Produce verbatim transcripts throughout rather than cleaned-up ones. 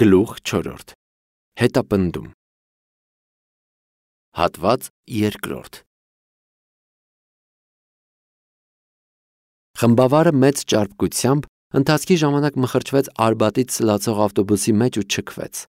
Գլուխ չորրորդ Հետապնդում Հատված երկրորդ Խմբավարը մեծ ճարպկությամբ ընթացքի ժամանակ մխրճվեց Արբատից սլացող ավտոբուսի մեջ ու չքվեց։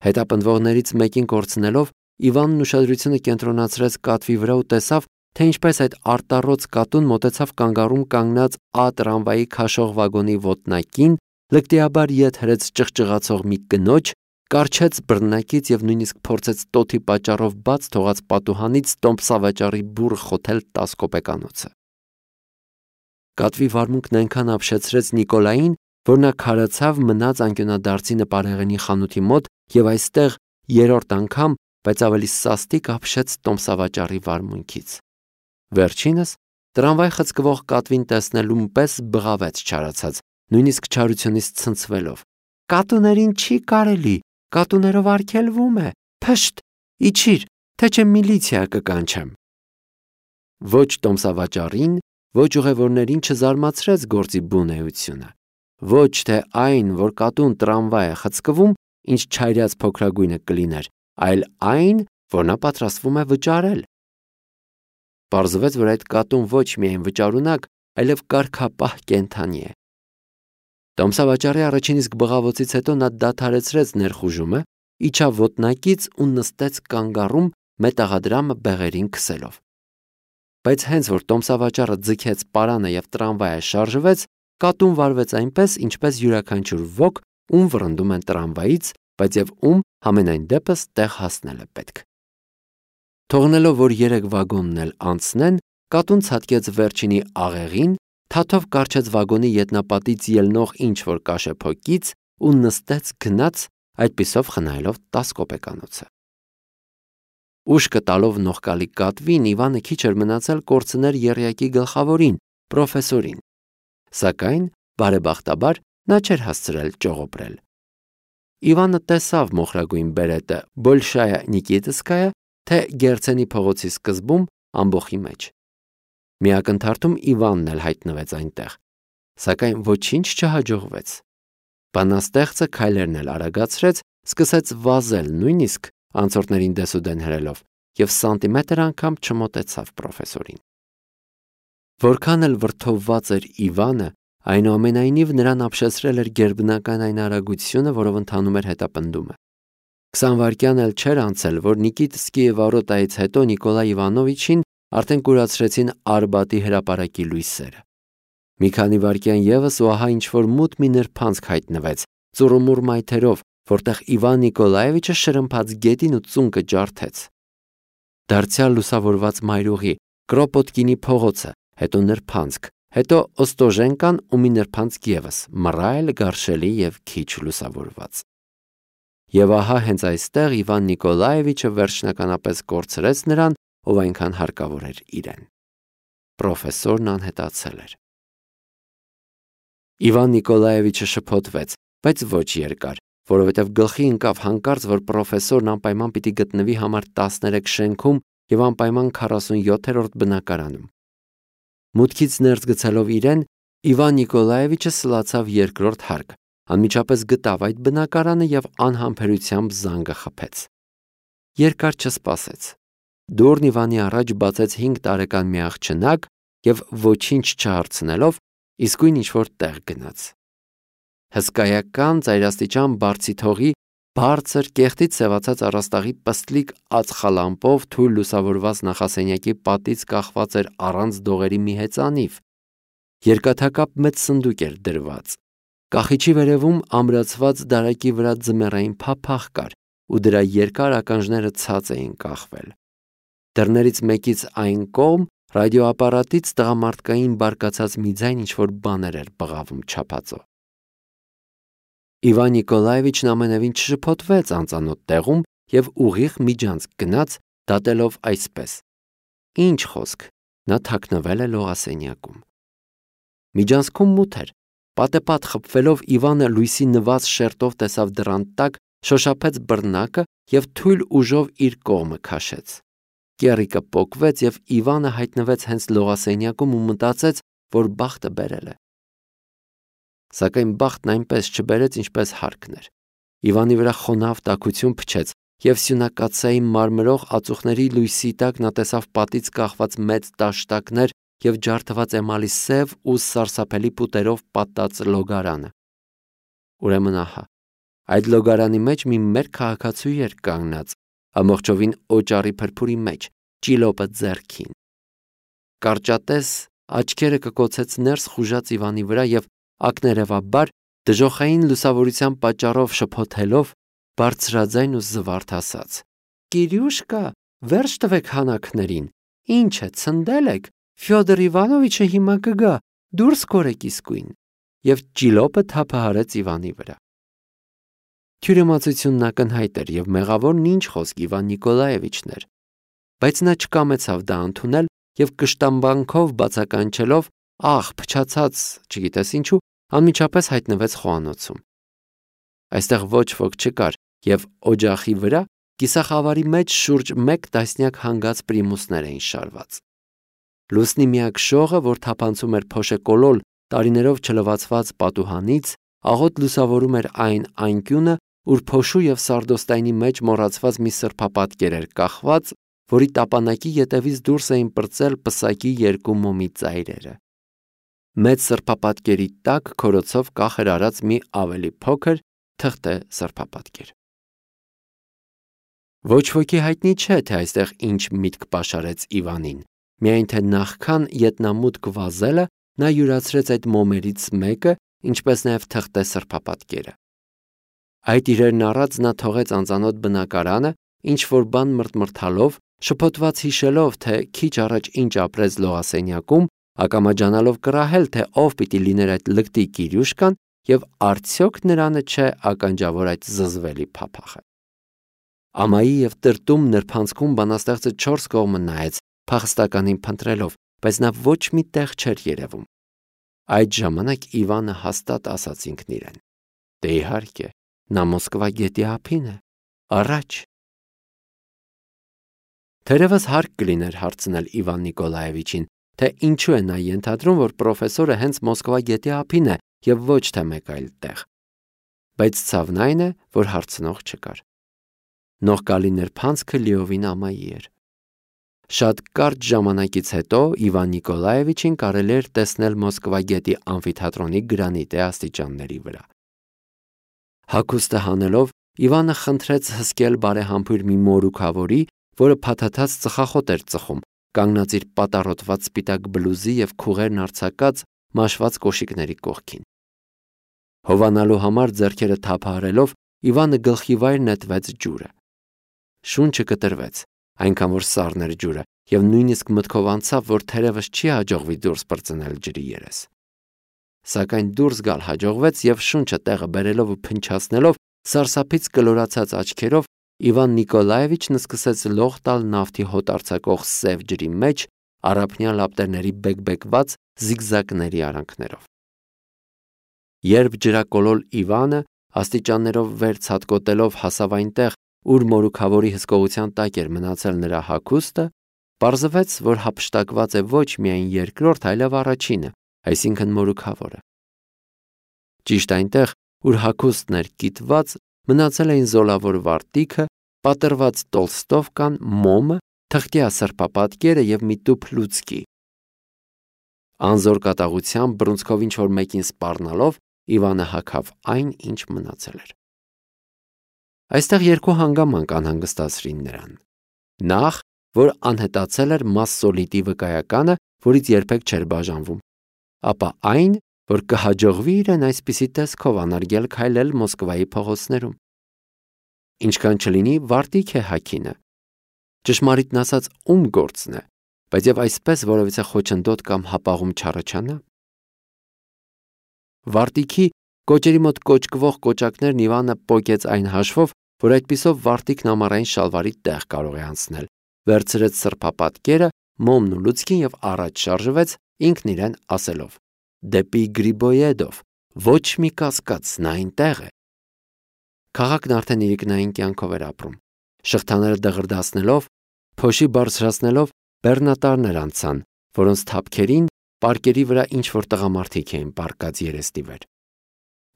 Հետապնդվողներից մեկին կորցնելով Իվանն ուշադրությունը կենտրոնացրեց կատվի վրա ու տեսավ, թե ինչպես այդ արտառոց կատուն մոտեցավ կանգառում կանգնած Ա տրամվայի քաշող վագոնի ոտնակին, լկտիաբար ետ հրեց ճղճղացող մի կնոջ, կառչեց բռնակից և նույնիսկ փորձեց տոթի պատճառով բաց թողած պատուհանից տոմսավաճառի բուռ խոթել տաս կոպեկանոցը։ Կատվի վարմունքն այնքան ապշեցրեց Նիկոլային, որ նա քարացավ մնաց անկյունադարձի նպարեղենի խանութի մոտ և այստեղ երրորդ անգամ, բայց ավելի սաստիկ ապշեց տոմսավաճառի վարմունքից։ Վերջինս տրամվայ խցկվող կատվին տեսնելուն պես բղավեց չարացած, նույնիսկ չարությունից ցնցվելով։ Կատուներին չի կարելի, կատուներով արգելվում է, փշտ, իջիր, թե չէ միլիցիա կկանչեմ։ Ոչ տոմսավաճառին, ոչ ուղևորներին չզարմացրեց գործի բուն էությունը։ Ոչ թե այն, որ կատուն տրամվայ է խցկվում, ինչ չայրած փոքրագույնը կլիներ, այլ այն, որ նա պատրաստվում է վճարել։ Պարզվեց, որ այդ կատուն ոչ միայն վճարունակ, այլև կարգապահ կենդանի է։ Տոմսավաճառի առաջին իսկ բղավոցից հետո նա դադարեցրեց ներխուժումը, իջավ ոտնակից ու նստեց կանգառում մետաղադրամը բեղերին քսելով։ Բայց հենց որ տոմսավաճառը ձգեց պարանը և տրամվայը շարժվեց, կատուն վարվեց այնպես, ինչպես յուրաքանչյուր ոք, ում վռնդում են տրամվայից, բայց և ում համենայն դեպս տեղ հասնել է պետք։ Թողնելով, որ երեք վագոնն էլ անցնեն, կատուն ցատկեց վերջինի աղեղին, թաթով կառչեց վագոնի ետնապատից ելնող ինչ-որ կաշեփոկից ու նստեց գնաց, այդպիսով խնայելով տաս կոպեկանոցը։ Ուշքը տալով նողկալի կատվին, Իվանը քիչ էր մնացել կորցներ եռյակի գլխավորին, պրոֆեսորին։ Սակայն, բարեբախտաբար, նա չէր հասցրել ճողոպրել։ Իվանը տեսավ մոխրագույն բերետը Բոլշայա Նիկիտսկայա, թե Գերցենի փողոցի սկզբում ամբոխի մեջ։ Մի ակնթարթում Իվանն էլ հայտնվեց այնտեղ, սակայն ոչինչ չհաջողվեց։ Բանաստեղծը քայլերն էլ արագացրեց, սկսեց վազել, նույնիսկ անցորդներին դեսուդեն հրելով, և սանտիմետր անգամ չմոտեցավ պրոֆեսորին։ Որքան էլ վրդովված էր Իվանը, այնուամենայնիվ նրան ապշեցրել էր գերբնական այն արագությունը, որով ընթանում էր հետապնդումը։ Քսան վայրկյան էլ չէր անցել, որ Նիկիտսկիի վարոտայից հետո Նիկոլայ Իվանովիչին արդեն կուրացրեցին Արբատի հրապարակի լույսերը։ Մի քանի վայրկյան ևս ու ահա ինչ-որ մութ մի նրբանցք հայտնվեց, ծուռումուռ մայթերով, որտեղ Իվան Նիկոլաևիչը շրմփաց գետին ու ծունկը ջարդեց։ Դարձյալ լուսավորված մայրուղի, Կրոպոտկինի փողոցը, հետո նրբանցք, հետո Օստոժենկան ու մի նրբանցք ևս, մռայլ, գարշելի և քիչ լուսավորված։ Եվ ահա հենց այստեղ Իվան Նիկոլաևիչը վերջնականապես կորցրեց նրան, ով այնքան հարկավոր էր իրեն։ Պրոֆեսորն անհետացել էր։ Իվան Նիկոլաևիչը շփոթվեց, բայց ոչ երկար, որովհետև գլխի ընկավ հանկարծ, որ պրոֆեսորն անպայման պիտի գտնվի համար տասներեք շենքում և անպայման քառասունյոթերորդ բնակարանում։ Մուտքից ներս գցելով իրեն, Իվան Նիկոլաևիչը սլացավ երկրորդ հարկ, անմիջապես գտավ այդ բնակարանը և անհամբերությամբ զանգը խփեց։ Երկար չսպասեց։ Դուռն Իվանի առաջ բացեց հինգ տարեկան մի աղջնակ և ոչինչ չհարցնելով, իսկույն ինչ-որ տեղ գնաց։ Հսկայական ծայրաստիճան բարձիթողի, բարձր կեղտից սևացած առաստաղի պստլիկ ածխալամպով թույլ լուսավորված նախասենյակի պատից կախված էր առանց դողերի մի հեծանիվ։ Երկաթակապ մեծ սնդուկ էր դրված։ Կախիչի վերևում ամրացված դարակի վրա ձմեռային փափախ կար, ու դրա երկար ականջները ցած էին կախվել։ Դռներից մեկից այն կողմ ռադիոապարատից տղամարդկային բարկացած մի ձայն ինչ-որ բաներ էր բղավում չափածո։ Իվան Նիկոլաևիչն ամենևին չշփոթվեց անծանոթ տեղում և ուղիղ միջանցք գնաց, դատելով այսպես. Ինչ խոսք, նա թաքնվել է լողասենյակում։ Միջանցքում մութ էր։ Պատեպատ խփվելով Իվանը լույսի նված շերտով տեսավ դռան տակ, շոշափեց բռնակը և թույլ ուժով իր կողմը քաշեց։ Կեռիկը պոկվեց և Իվանը հայտնվեց հենց լողասենյակում ու մտածեց, որ բախտը բերել է։ Սակայն բախտն այնպես չբերեց, ինչպես հարկն էր։ Իվանի վրա խոնավ տաքություն փչեց, և սյունակաթսայի մարմրող ածուխների լույսի տակ նա տեսավ պատից կախված մեծ տաշտակներ և ջարդված էմալի սև ու սարսափելի պուտերով պատած լոգարանը։ Ուրեմն ահա, այդ լոգարանի մեջ մի մեր քաղաքացու էր կանգնած, ամբողջովին օճառի փրփուրի մեջ, ճիլոպը ձեռքին։ Կարճատես աչքերը կկոցեց ներս խուժած Իվանի վրա և ակներևաբար, դժոխային լուսավորության պատճառով շփոթելով, բարձրաձայն ու զվարթ ասաց. «Կիրյուշկա, վերջ տվեք հանակներին, ինչ է, ցնդել եք, Ֆյոդոր Իվանովիչը հիմա կգա, դուրս կորեք իսկույն», և ճիլոպը թափահարեց Իվանի վրա։ Թյուրիմացությունն ակնհայտ էր և մեղավորն ինչ խոսք Իվան Նիկոլաևիչն էր, բայց նա չկամեցավ դա ընդունել և կշտամբանքով բացականչելով, ահ, փչացած, չգիտես ինչու, անմիջապես հայտնվեց խոհանոցում։ Այստեղ ոչ ոք չկար, և օջախի վրա կիսախավարի մեջ շուրջ մեկ տասնյակ հանգած պրիմուսներ էին շարված։ Լուսնի միակ շողը, որ թափանցում էր փոշեկոլոլ տարիներով չլվացված պատուհանից, աղոտ լուսավորում էր այն անկյունը, ուր փոշու և սարդոստայնի մեջ մոռացված մի սրբապատկեր էր կախված, որի տապանակի ետևից դուրս էին պրծել պսակի երկու մոմի ծայրերը։ Մեծ սրբապատկերի տակ քորոցով կախ էր արած մի ավելի փոքր թղթե սրբապատկեր։ Ոչ ոքի հայտնի չէ, թե այստեղ ինչ միտք պաշարեց Իվանին, միայն թե նախքան ետնամուտք վազելը նա յուրացրեց այդ մոմերից մեկը, ինչպես նաև թղթե սրբապատկերը։ Այդ իրերն առած նա թողեց անծանոթ բնակարանը, ինչ-որ բան մրթմրթալով, շփոթված հիշելով, թե քիչ առաջ ինչ ապրեց լողասենյակում, ակամաջանալով կռահել, թե ով պիտի լիներ այդ լկտի Կիրյուշկան և արդյոք նրանը չէ ականջավոր այդ զզվելի փափախը։ Ամայի և տրտում նրբանցքում բանաստեղծը չորս կողմը նայեց, փախստականին փնտրելով, բայց նա ոչ մի տեղ չէր երևում։ Այդ ժամանակ Իվանը հաստատ ասաց ինքն իրեն. «Դե իհարկե, նա Մոսկվա գետի ափին է, առաջ»։ Թերևս հարկ կլիներ հարցնել Իվան Նիկոլաևիչին, թե ինչու է նա ենթադրում, որ պրոֆեսորը հենց Մոսկվա գետի ափին է և ոչ թե մեկ այլ տեղ։ Բայց ցավն այն է, որ հարցնող չկար։ Նողկալի նրբանցքը լիովին ամայի էր։ Շատ կարճ ժամանակից հետո Իվան Նիկոլաևիչին կարելի էր տեսնել Մոսկվա գետի ամֆիթատրոնի գրանիտե աստիճանների վրա։ Հագուստը հանելով, Իվանը խնդրեց հսկել բարեհամբույր մի մորուքավորի, որը փաթաթած ծխախոտ էր ծխում, կանգնած իր պատառոտված սպիտակ բլուզի և քուղերն արձակած մաշված կոշիկների կողքին։ Հովանալու համար ձեռքերը թափահարելով, Իվանը գլխիվայր նետվեց ջուրը։ Շունչը կտրվեց, այնքան որ սառն էր ջուրը, և նույնիսկ մտքով անցավ, որ թերևս չի հաջողվի դուրս պրծնել ջրի երես։ Սակայն դուրս գալ հաջողվեց, և շունչը տեղը բերելով ու փնչացնելով, սարսափից կլորացած աչքերով, Իվան Նիկոլաևիչն սկսեց լող տալ նավթի հոտ արձակող սև ջրի մեջ առափնյա լապտերների բեկբեկված զիգզակների արանքներով։ Երբ ջրակոլոլ Իվանը աստիճաններով վեր ցատկոտելով հասավ այնտեղ, ուր մորուքավորի հսկողության տակ էր մնացել նրա հագուստը, պարզվեց, որ հափշտակված է ոչ միայն երկրորդ, այլև առաջինը, այսինքն մորուքավորը։ Ճիշտ այնտեղ, ուր հագուստն էր կիտված, մնացել էին զոլավոր վարտիքը, պատռված տոլստովկան, մոմը, թղթյա սրբապատկերը և մի տուփ լուցկի։ Անզոր կատաղությամբ բռունցքով ինչ-որ մեկին սպառնալով, Իվանը հագավ այն, ինչ մնացել էր։ Այստեղ երկու հանգամանք անհանգստացրին նրան։ Նախ, որ անհետացել էր մասսոլիտի վկայականը, որից երբեք չէր բաժանվում, ապա այն, որ կհաջողվի իրեն այսպիսի տեսքով անարգել քայլել Մոսկվայի փողոցներում։ Ինչքան չլինի, վարտիք է հագինը։ Ճշմարիտն ասած, ում գործն է, բայց և այսպես որևիցե խոչընդոտ կամ հապաղում չառաջանա։ Վարտիքի կոճերի մոտ կոճկվող կոճակներն Իվանը պոկեց այն հաշվով, որ այդպիսով վարտիքն ամառային շալվարի տեղ կարող է անցնել, վերցրեց սրբապատկերը, մոմն ու լուցկին և առաջ շարժվեց, ինքն իրեն ասելով. «Դեպի Գրիբոյեդով, ոչ մի կասկած, նա այնտեղ է»։ Քաղաքն արդեն իրիկնային կյանքով էր ապրում։ Շղթաները դղրդացնելով, փոշի բարձրացնելով, բեռնատարներ անցան, որոնց թափքերին պարկերի վրա ինչ-որ տղամարդիկ էին պառկած երեսնիվեր։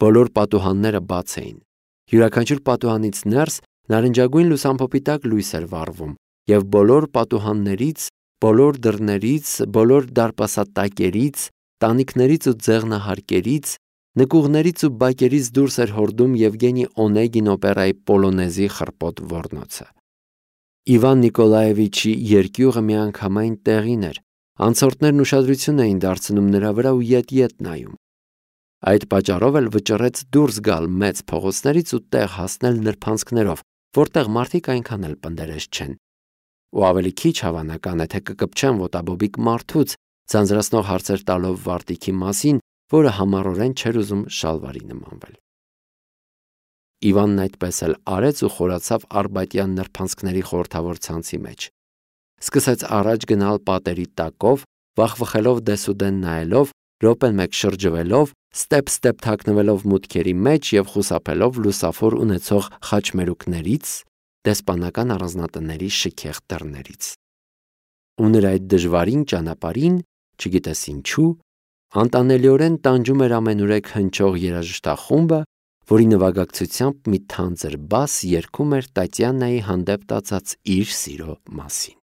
Բոլոր պատուհանները բաց էին։ Յուրաքանչյուր պատուհանից ներս նարնջագույն լուսամփոփի տակ լույս էր վառվում, և բոլոր պատուհաններից, բոլոր դռներից, բոլոր դարպասատակերից, տանիքներից ու ձեղնահարկերից, նկուղներից ու բակերից դուրս էր հորդում Եվգենի Օնեգին օպերայի Պոլոնեզի խռպոտ ոռնոցը։ Իվան Նիկոլաևիչի երկյուղը միանգամայն տեղին էր, անցորդներն ուշադրություն էին դարձնում նրա վրա ու ետ-ետ նայում։ Այդ պատճառով էլ վճռեց դուրս գալ մեծ փողոցներից ու տեղ հասնել նրբանցքներով, որտեղ մարդիկ այնքան էլ պնդերես չեն։ Ու ավելի քիչ հավանական է, թե կկպչեն ոտաբոբիկ մարդուց, ձանձրացնող հարցեր տալով Վարդիքի մասին, որը համառորեն չէր ուզում շալվարի նմանվել։ Իվանն այդպես էլ արեց ու խորացավ Արբատյան նրբանցքների խորհրդավոր ցանցի մեջ։ Սկսեց առաջ գնալ պատերի տակով, վախվխելով դեսուդեն նայելով, րոպեն մեկ շրջվելով, ստեպ-ստեպ թաքնվելով մուտքերի մեջ և խուսափելով լուսավոր ունեցող խաչմերուկներից, դեսպանական առանձնատների շքեղ դռներից։ Ու նրա այդ դժվարին ճանապարհին, չգիտես ինչու, անտանելիորեն տանջում էր ամենուրեք հնչող երաժշտախումբը, որի նվագակցությամբ մի թանձր բաս երգում էր Տատյանայի հանդեպ տածած իր սիրո մասին։